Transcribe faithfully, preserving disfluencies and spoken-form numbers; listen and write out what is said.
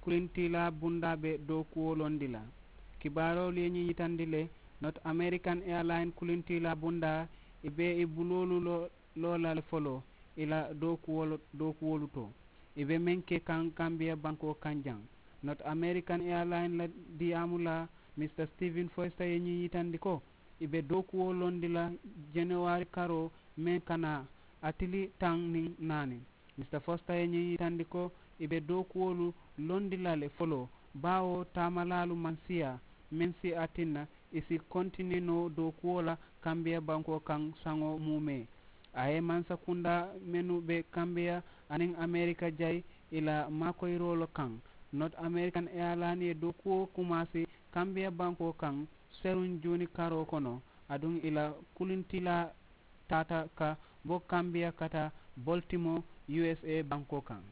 kulintiilaa bundaa be dookuwo londi la. Kibaaroolu ye ñiŋ yitandi le, not american airline kulintiilaa bundaa i be i buloolu loo loo la le foloo i la dookuwolu to. I be meŋ ke kaŋ kambiya bankoo kaŋ jaŋ. Not american airline la diyaamu la, mista steven foysta ye ñiŋ yitandi ko i be dookuwo londi la januwari karoo meŋ ka naa a tili taŋ niŋ naani. Mista foysta ye ñiŋ yitandi ko i be dookuwolu londi la le foloo, baawo taamalaalu maŋ siyaa meŋ si a tinna i si kontinee noo dookuwo la kambiya bankoo kaŋ saŋo muumee. A ye mansa kundaa mennu be kambiya aniŋ amerika jayi i la maakoyiroo le kaŋ. Not american airline ye dookuwo kumaasi kambiya bankoo kaŋ seruŋ juuni karoo kono, aduŋ i la kulintilaa taata ka bo kambiya ka taa boltimo usa bankoo kaŋ.